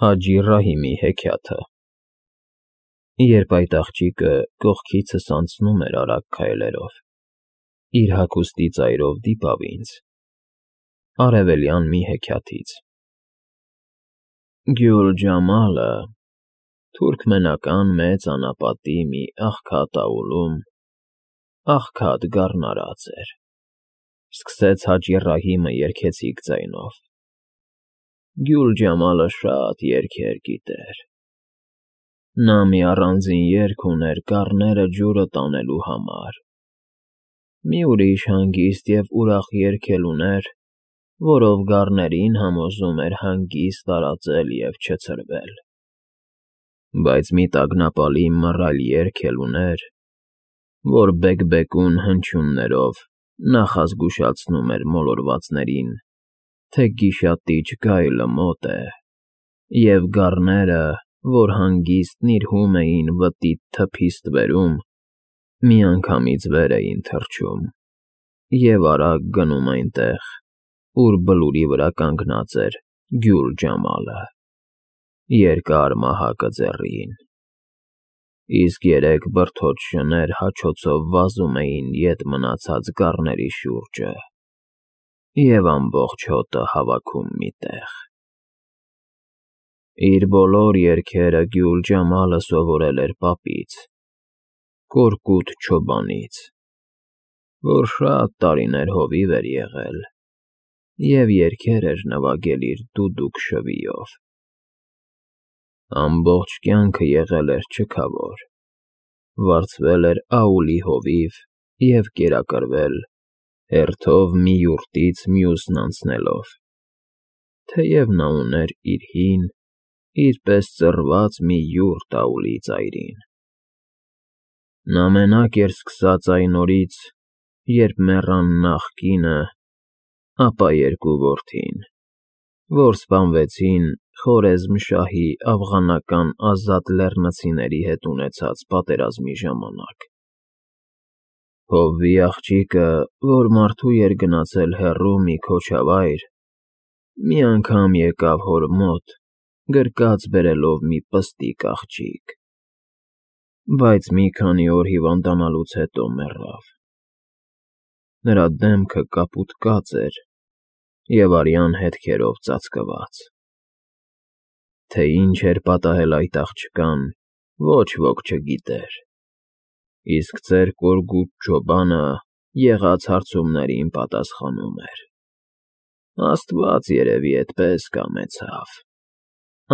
Հաջի Ռահիմի հեքիաթը։ Երբ այդ աղջիկը կողքիցս անցնում էր արագ քայլերով, իր հագուստի ծայրով դիպավ ինձ արևելյան մի հեքիաթից. Գյուլ Ջամալը թուրքմենական մեծ անապատի մի աղքատ աուլում աղքատ գառնարած էր, սկսեց Հաջի Ռահիմը երգեցիկ ձայնով. Գյուլ Ջամալը շատ երգեր գիտեր, նա մի առանձին երգ ուներ գառները ջուրը տանելու համար, մի ուրիշ հանգիստ և ուրախ երգ էլ ուներ, որով գառներին համոզում էր հանգիստ տարածել և չցրվել, բայց մի տագնապալի մռայլ երգ էլ ուներ, որ բեկբեկուն հնչյուններով նախազգուշացնում էր մոլորվածներին, թե գիշատիչ գայլը մոտ է, և գառները, որ հանգիստ նիրհում էին վտիտ թփի ստվերում, միանգամից վեր էին թռչում և արագ գնում այնտեղ, ուր բլուրի վրա կանգնած էր Գյուլ Ջամալը, երկար մահակը ձեռին, իսկ երեք բրդոտ շներ հաչոցով վազում էին ետ մնացած գառների շուրջը և ամբողջ հոտը հավաքում մի տեղ։ Իր բոլոր երգերը Գյուլ Ջամալը սովորել էր պապից, Կորկուտ Չոբանից, որ շատ տարիներ հովիվ էր եղել և երգեր էր նվագել իր դուդուկ շվիով։ Ամբողջ կյանքը եղել էր չքավոր, վարձվել էր աուլի հովիվ և կերակրվել հերթով մի յուրտից մյուսն անցնելով, թեև նա ուներ իր հին, իր պես ծռված մի յուրտ աուլի ծայրին։ Նա մենակ էր սկսած այն օրից, երբ մեռան նախ կինը, ապա երկու որդին, որ սպանվեցին Խորեզմշահի աֆղանական ազատ լեռնցիների հետ ունեցած պատերազմի ժամանակ։ Հովվի աղջիկը, որ մարդու էր գնացել հեռու մի քոչավայր, մի անգամ եկավ հոր մոտ, գրկած բերելով մի պստիկ աղջիկ, բայց մի քանի օր հիվանդանալուց հետո մեռավ։ Նրա դեմքը կապուտկած էր և արյան հետքերով ծածկված։ Թե ինչ էր պատահել այդ աղջկան, ոչ ոք չգիտեր, իսկ ծեր Կորկուտ Չոբանը եղած հարցումներին պատասխանում էր. Աստված երևի էդպես կամեցավ,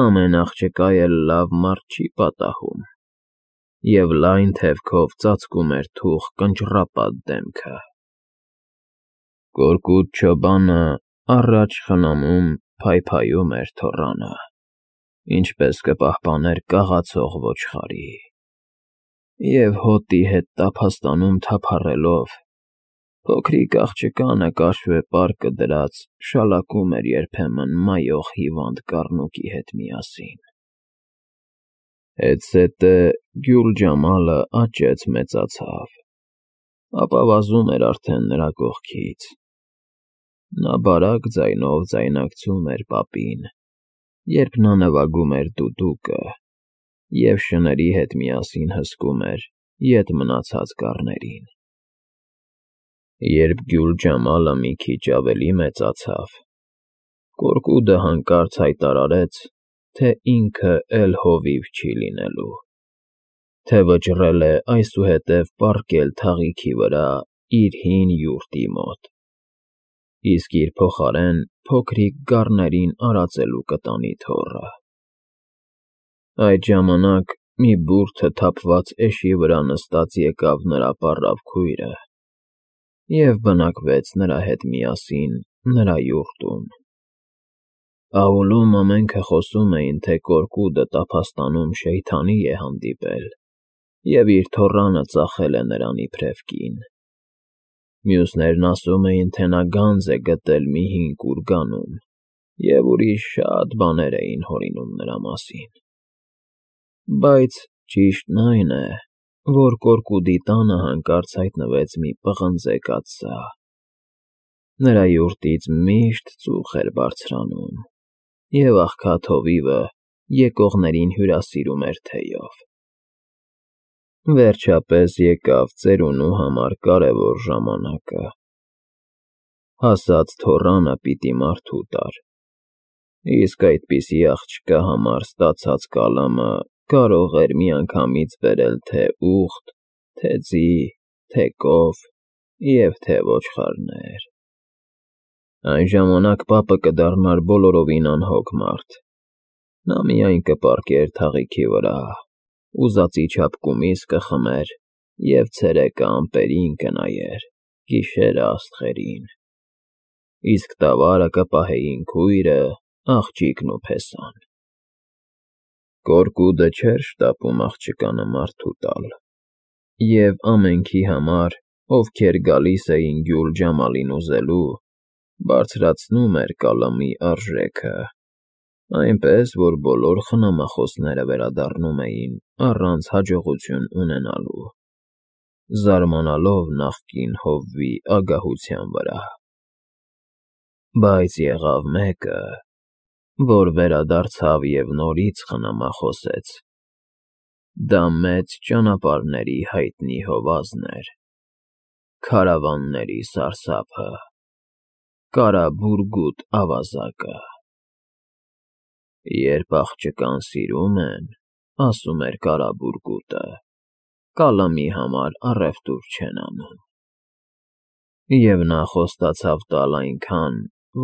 ամեն աղջկա էլ լավ մարդ չի պատահում, և լայն թևքով ծածկում էր թուխ կնճռապատ դեմքը։ Կորկուտ Չոբանը առաջ խնամում փայփայում էր թոռանը, ինչպես կպահպաներ կաղացող ոչխարի, և հոտի հետ տափաստանում թափառելով, փոքրիկ աղջկանը կաշվե պարկը դրած շալակում էր երբեմն մայող հիվանդ կառնուկի հետ միասին։ Հետզհետե Գյուլ Ջամալը աճեց֊մեծացավ, ապա վազում էր արդեն նրա կողքից։ Նա բարակ ձայնով ձայնակցում էր պապին, երբ նա նվագում էր դուդուկը, և շների հետ միասին հսկում էր ետ մնացած գառներին։ Երբ Գյուլ Ջամալը մի քիչ ավելի մեծացավ, Կորկուտը հանկարծ հայտարարեց, թե ինքը էլ հովիվ չի լինելու, թե վճռել է այսուհետև պառկել թաղիքի վրա իր հին յուրտի մոտ, իսկ իր փոխարեն փոքրիկ գառներին արածելու կտանի թոռը։ Այդ ժամանակ մի բուրդը թափված էշի վրա նստած եկավ նրա պառավ քույրը և բնակվեց նրա հետ միասին նրա յուրտում։ Աուլում ամենքը խոսում էին, թե Կորկուտը տափաստանում Շեյթանի է հանդիպել և իր թոռանը ծախել է նրան իբրև կին։ Մյուսներն ասում էին, թե նա գանձ է գտել մի հին կուրգանում և ուրիշ շատ բաներ էին հորինում նրա մասին։ Բայց ճիշտն այն է, որ Կորկուտի տանը հանկարծ հայտնվեց մի պղնձե կաթսա։ Նրա յուրտից միշտ ծուխ էր բարձրանում, և աղքատ հովիվը եկողներին հյուրասիրում էր թեյով։ Վերջապես եկավ ծերունու համար կարևոր ժամանակը։ Հասած թոռանը պիտի մարդու տար, իսկ այդպիսի աղջկա համար ստացած կալամը կարող էր միանգամից բերել թե ուղտ, թե ձի, թե կով և թե ոչխարներ։ Այն ժամանակ պապը կդառնար բոլորովին անհոգ մարդ։ Նա միայն կպառկեր թաղիքի վրա, ուզածի չափ կումիս կխմեր և ցերեկը ամպերին կնայեր, գիշերը աստղերին, իսկ տավարը կպահեին քույրը, աղջիկն ու փեսան։ Կորկուդը չէր շտապում աղջկանը մարդու տալ, և ամենքի համար, ովքեր գալիս էին Գյուլ Ջամալին ուզելու, բարձրացնում էր կալամի արժեքը, այնպես, որ բոլոր խնամախոսները վերադառնում էին առանց հաջողություն ունենալու, զարմանալով նախկին հովվի ագահության վրա։ Բայց եղավ մեկը, որ վերադարձավ և նորից խնամախոսեց։ Դա մեծ ճանապարհների հայտնի հովազն էր, քարավանների սարսափը, Կարաբուրգուտ ավազակը։ Երբ աղջկան սիրում են, ասում էր Կարաբուրգուտը, կալամի համար առևտուր չեն անում։ Եվ նա խոստացավ տալ այնքան,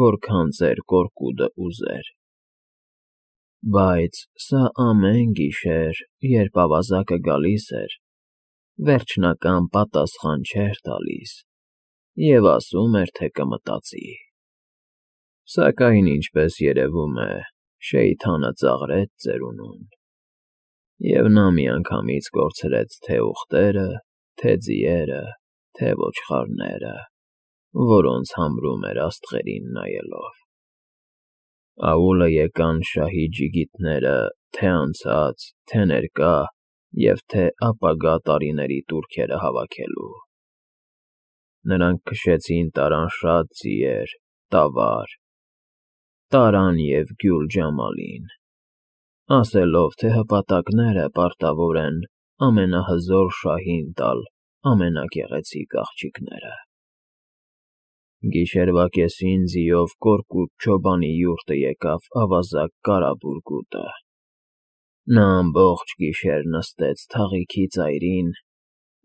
որքան ծեր Կորկուդը ուզեր։ Բայց սա ամեն գիշեր, երբ ավազակը գալիս էր, վերջնական պատասխան չէր տալիս և ասում էր, թե կմտածի։ Սակայն, ինչպես երևում է, Շեյթանը ծաղրեց ծերունուն, և նա միանգամից կորցրեց թե ուղտերը, թե ձիերը, թե ոչխարները, որոնց համրում էր աստղերին նայելով։ Աուլը եկան շահի ջիգիտները թե անցած, թե ներկա և թե ապագա տարիների տուրքերը հավաքելու։ Նրանք քշեցին տարան շատ ձիեր, տավար, տարան և Գյուլ Ջամալին, ասելով, թե հպատակները պարտավոր են ամենահզոր շահին տալ ամենագեղեցիկ աղջիկները։ Գիշերվա կեսին ձիով Կորկուդ չոբանի յուրտը եկավ ավազակ Կարաբուրգուտը։ Նա ամբողջ գիշեր նստեց թաղիքի ծայրին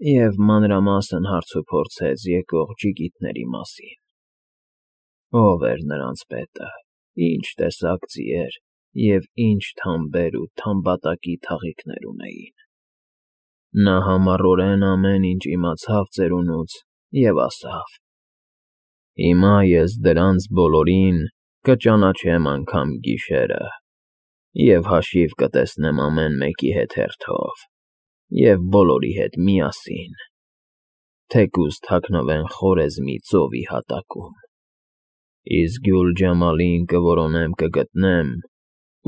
և մանրամասն հարցուփորձեց եկող ջիգիտների մասին. ով էր նրանց պետը, ինչ տեսակ ձիեր և ինչ թամբեր ու թամբատակի թաղիքներ ունեին։ Նա համառորեն ամեն ինչ իմացավ ծերունուց և ասավ. «Հիմա ես դրանց բոլորին կճանաչեմ անգամ գիշերը և հաշիվ կտեսնեմ ամեն մեկի հետ հերթով և բոլորի հետ միասին, թեկուզ թաքնվեն խորեզմի ծովի հատակում։ Իսկ Գյուլ Ջամալին կորոնեմ կգտնեմ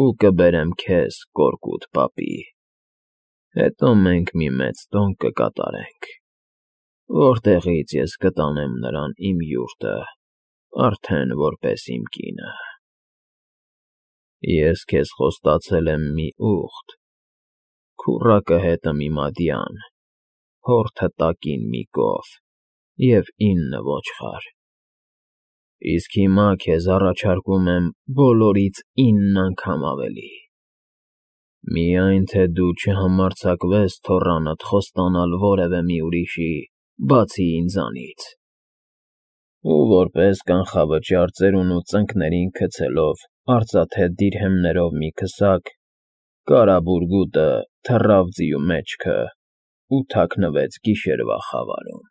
ու կբերեմ քեզ Կորկուդ պապի։ Հետո մենք մի մեծ տոն կկատարենք, որտեղից ես կտանեմ նրան իմ յուրտը, արդեն որպես իմ կինը։ Ես քեզ խոստացել եմ մի ուղտ, քուռակը հետը մի մադյան, հորթը տակին մի կով և 9 ոչխար։ Իսկ հիմա քեզ առաջարկում եմ բոլորից 9 անգամ ավելի։ Միայն թե դու չհամարձակվես թոռանդ խոստանալ որևէ մի ուրիշի, բացի ինձանից։ Ու որպես կանխավճար ծերունու ծնկներին գցելով արծաթե դիրհեմներով մի քսակ, Կարաբուրգուտը թռավ ձիու մեջքը ու թաքնվեց գիշերվա խավարում»։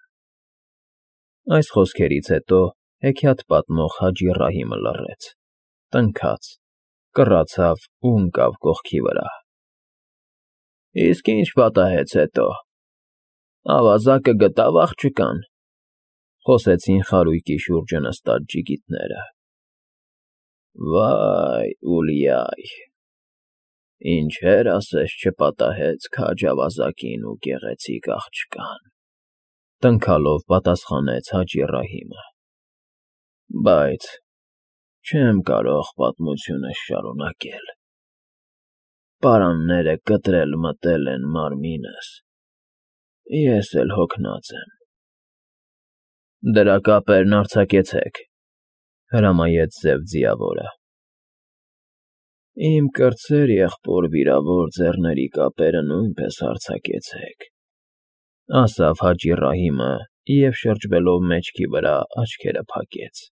Այս խոսքերից հետո հեքիաթ պատմող Հաջի Ռահիմը լռեց, տնքաց, կռացավ ու ընկավ կողքի վրա։ «Իսկ ինչ պատահեց հետո, ավազակը գտա՞վ աղջկան», խոսեցին խարույկի շուրջը նստած ջիգիտները։ «Վա՜յ, Ուլյայ, ինչեր ասես չպատահեց քաջ ավազակին ու գեղեցիկ աղջկան», տնքալով պատասխանեց Հաջի Ռահիմը։ «Բայց չեմ կարող պատմությունս շարունակել։ պարանները կտրել մտել են մարմինս, ես էլ հոգնած եմ։ Դրա կապերն արձակեցեք, հրամայեց Սև Ձիավորը։ Իմ կրտսեր եղբոր վիրավոր ձեռների կապերը նույնպես արձակեցեք, ասավ Հաճի Ռահիմը և շրջվելով մեջքի վրա աչքերը փակեց։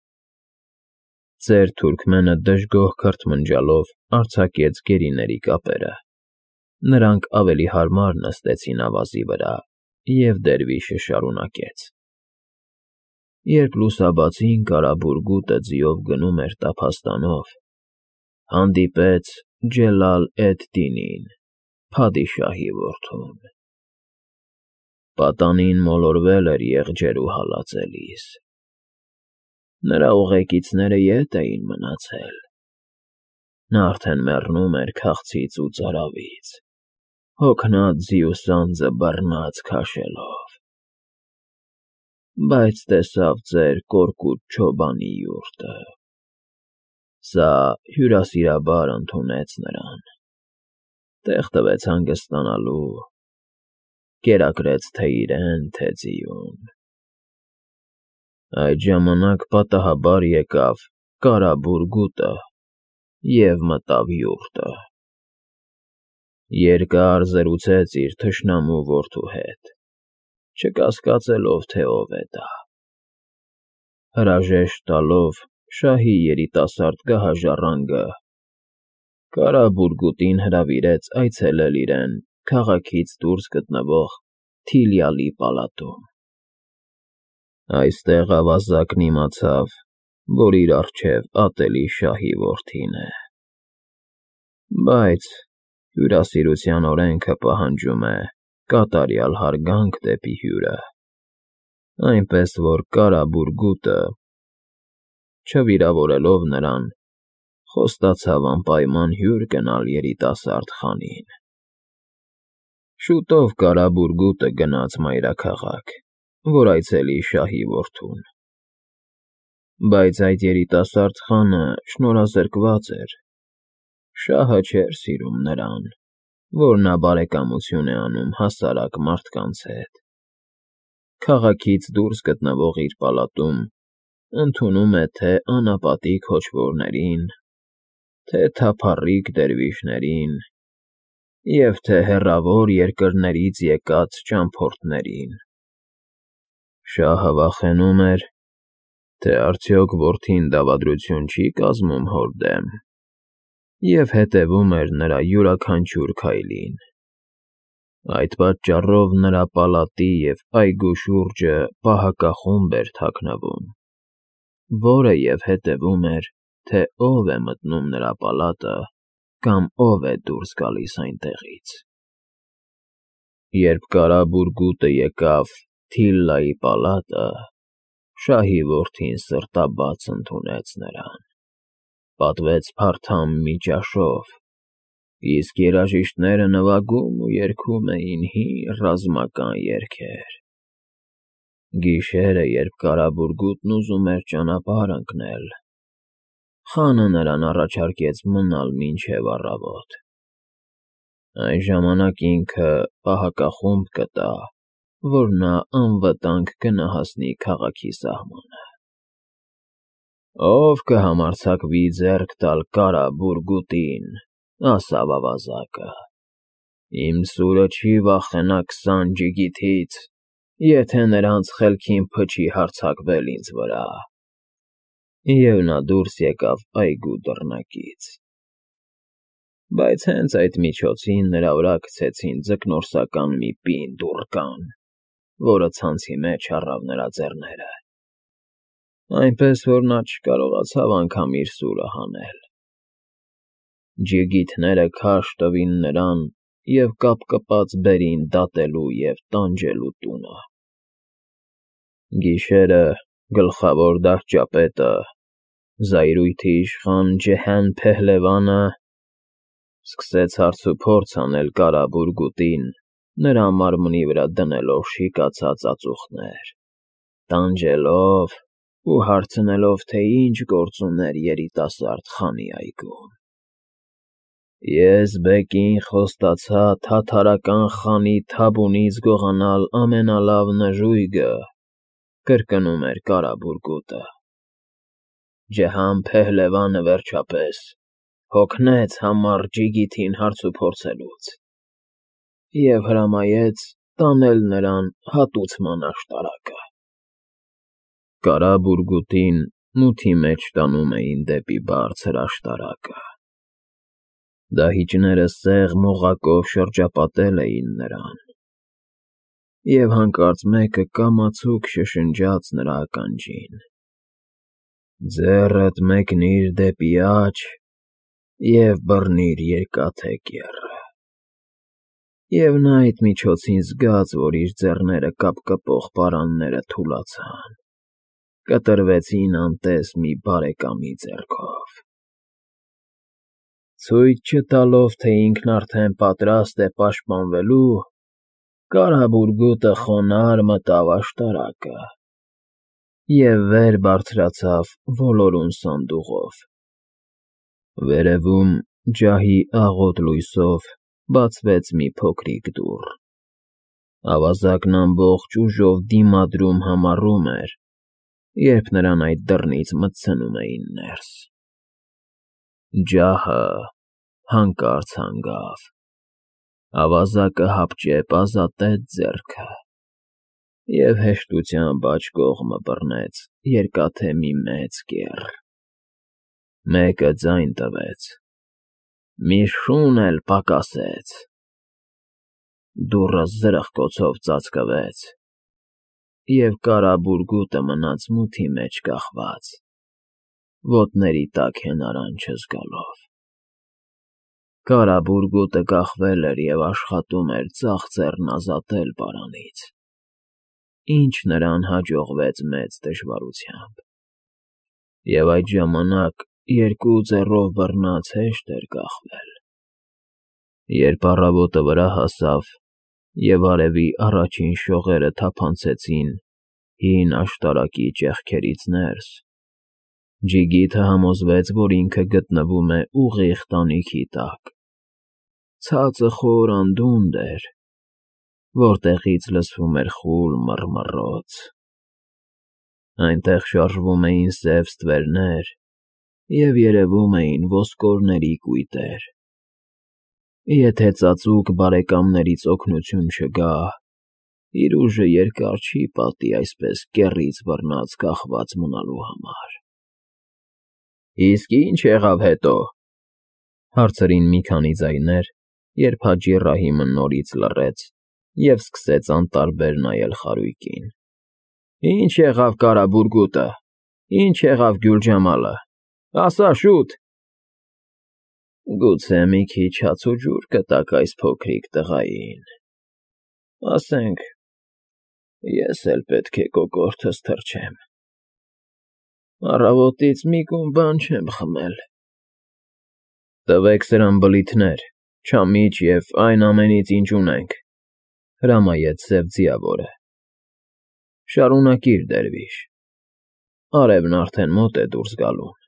Ծեր թուրքմենը դժգոհ քրթմնջալով արձակեց գերիների կապերը։ Նրանք ավելի հարմար նստեցին ավազի վրա, և դերվիշը շարունակեց. Երբ լուսաբացին կարաբուրգուտը ձիով գնում էր տափաստանով, հանդիպեց Ջելալ֊էդ֊Դինին, փադիշահի որդուն։ Պատանին մոլորվել էր եղջերու հալածելիս։ Նրա ուղեկիցները ետ էին մնացել։ Նա արդեն մեռնում էր քաղցից ու ծարավից, հոգնած ձիու սանձը բռնած քաշելով։ Բայց տեսավ ձեր կորկուտ չոբանի յուրտը։ Սա հյուրասիրաբար ընդունեց նրան, տեղ տվեց հանգստանալու, կերակրեց թե իրեն, թե ձիուն։ Այդ ժամանակ պատահաբար եկավ կարաբուրգուտը և մտավ յուրտը։ Երկար զրուցեց իր թշնամու որդու հետ, չկասկածելով, թե ով է դա։ Հրաժեշտ տալով շահի երիտասարդ գահաժառանգը կարաբուրգուտին հրավիրեց այցելել իրեն քաղաքից դուրս գտնվող Թիլյալի պալատում։ Այստեղ ավազակն իմացավ, որ իր առջև ատելի շահի որդին է։ Բայց հյուրասիրության օրենքը պահանջում է կատարյալ հարգանք դեպի հյուրը, այնպես որ կարաբուրգուտը, չվիրավորելով նրան, խոստացավ անպայման հյուր գնալ երիտասարդ խանին։ Շուտով կարաբուրգուտը գնաց մայրաքաղաք, որ այցելի շահի որդուն։ Բայց այդ երիտասարդ խանը շնորհազրկված էր, շահը չէր սիրում նրան, որ նա բարեկամություն է անում հասարակ մարդկանց հետ։ Քաղաքից դուրս գտնվող իր պալատում ընդունում է թե անապատիկ հոչվորներին, թե թափառիկ դերվիշներին և թե հեռավոր երկրներից եկած ճամփորդներին։ Շահը վախենում էր, թե արդյոք որդին դավադրություն չի կազմում հոր դեմ, և հետևում էր նրա յուրաքանչյուր քայլին։ Այդ պատճառով նրա պալատի և այգու շուրջը պահակախումբ էր թաքնվում, որը և հետևում էր, թե ով է մտնում նրա պալատը կամ ով է դուրս գալիս այնտեղից։ Երբ կարաբուրգուտը եկավ Թիլլայի պալատը, շահի որդին սրտաբաց ընդունեց նրան, պատվեց փարթամ մի ճաշով, իսկ երաժիշտները նվագում ու երգում էին հին ռազմական երգեր։ Գիշերը, երբ կարաբուրգուտն ուզում էր ճանապարհ ընկնել, խանը նրան առաջարկեց մնալ մինչև առավոտ։ Այն ժամանակ ինքը պահակախումբ կտա, որ նա անվտանգ կնահասնի քաղաքի սահմանը։ Ով կհամարձակվի ձեռք տալ կարաբուրգուտին, ասավ ավազակը, իմ սուրը չի վախենա 20 ջիգիթից, եթե նրանց խելքին փչի հարձակվել ինձ վրա։ Եվ նա դուրս եկավ այգու դռնակից։ Բայց հենց այդ միջոցին նրա վրա գցեցին ձկնորսական մի պինդ ուռկան, որը ցանցի մեջ առավ նրա ձեռները, այնպես որ նա չկարողացավ անգամ իր սուրը հանել։ Ջիգիթները քարշ տվին նրան և կապկպած բերին դատելու և տանջելու տունը։ Գիշերը գլխավոր դահճապետը, զայրույթի իշխան Ջեհան֊Փեհլևանը սկսեց հարցուփորձ անել կարաբուրգուտին, նրա մարմնի վրա դնելով շիկացած ածուխներ, տանջելով ու հարցնելով, թե ինչ գործ ուներ երիտասարդ խանի այգում։ Ես բեկին խոստացա թաթարական խանի թաբունից գողանալ ամենալավ նժույգը, կրկնում էր Կարաբուրգուտը։ Ջհան Փեհլևանը վերջապես հոգնեց համառ Ջիգիթին հարցուփորձելուց և հրամայեց տանել նրան հատուցման աշտարակը։ Կարաբուրգուտին մութի մեջ տանում էին դեպի բարձր աշտարակը։ Դահիճները սեղ մողակով շրջապատել էին նրան, և հանկարծ մեկը կամացուկ շշնջաց նրա ականջին. «Ձեռդ մեկնիր դեպի աջ և բռնիր երկաթե կեռը»։ Եվ նա այդ միջոցին զգաց, որ իր ձեռները կապկպող պարանները թուլացան, կտրվեցին անտես մի բարեկամի ձեռքով։ Ցույց չտալով, թե ինքն արդեն պատրաստ է պաշտպանվելու, Կարաբուրգուտը խոնարհ մտավ աշտարակը և վեր բարձրացավ ոլորուն սանդուղով։ Վերևում ջահի աղոտ լույսով բացվեց մի փոքրիկ դուռ։ Ավազակն ամբողջ ուժով դիմադրում համառում էր, երբ նրան այդ դռնից մտցնում էին ներս։ Ջահը հանկարծ հանգավ։ Ավազակը հապճեպ ազատեց ձեռքը և հեշտությամբ աջ կողմը բռնեց երկաթե մի մեծ կեռ։ Մեկը ձայն տվեց, մի շուն էլ պակասեց։ Դուռը զրխկոցով ծածկվեց, և Կարաբուրգուտը մնաց մութի մեջ կախված, ոտների տակ հենարան չզգալով։ Կարաբուրգուտը կախվել էր և աշխատում էր ձախ ձեռն ազատել պարանից, ինչը նրան հաջողվեց մեծ դժվարությամբ, և այդ ժամանակ երկու ձեռով բռնած հեշտ էր կախվել։ Երբ առավոտը վրա հասավ և արևի առաջին շողերը թափանցեցին հին աշտարակի ճեղքերից ներս, Ջիգիթը համոզվեց, որ ինքը գտնվում է ուղիղ տանիքի տակ։ Ցածը խոր անդունդ էր, որտեղից լսվում էր խուլ մռմռոց։ Այնտեղ շարժվում էին սև ստվերներ և երևում էին ոսկորների կույտեր։ Եթե ծածուկ բարեկամներից օգնություն չգա, իր ուժը երկար չի պատի այսպես կեռից բռնած կախված մնալու համար։ «Իսկ ի՞նչ եղավ հետո», հարցրին մի քանի ձայներ, երբ Հաջի Ռահիմը նորից լռեց և սկսեց անտարբեր նայել խարույկին։ «Ի՞նչ եղավ Կարաբուրգուտը, ի՞նչ եղավ Գյուլջամալը, ասա շուտ»։ «Գուցե մի քիչ հաց ու ջուր կտաք այս փոքրիկ տղային, ասենք, ես էլ պետք է կոկորդս թռչեմ, առավոտից մի կում բան չեմ խմել»։ «Տվեք սրան բլիթներ, չամիչ և այն ամենից, ինչ ունենք», հրամայեց սև ձիավորը։ «Շարունակիր, դերվիշ, արևն արդեն մոտ է դուրս գալուն»։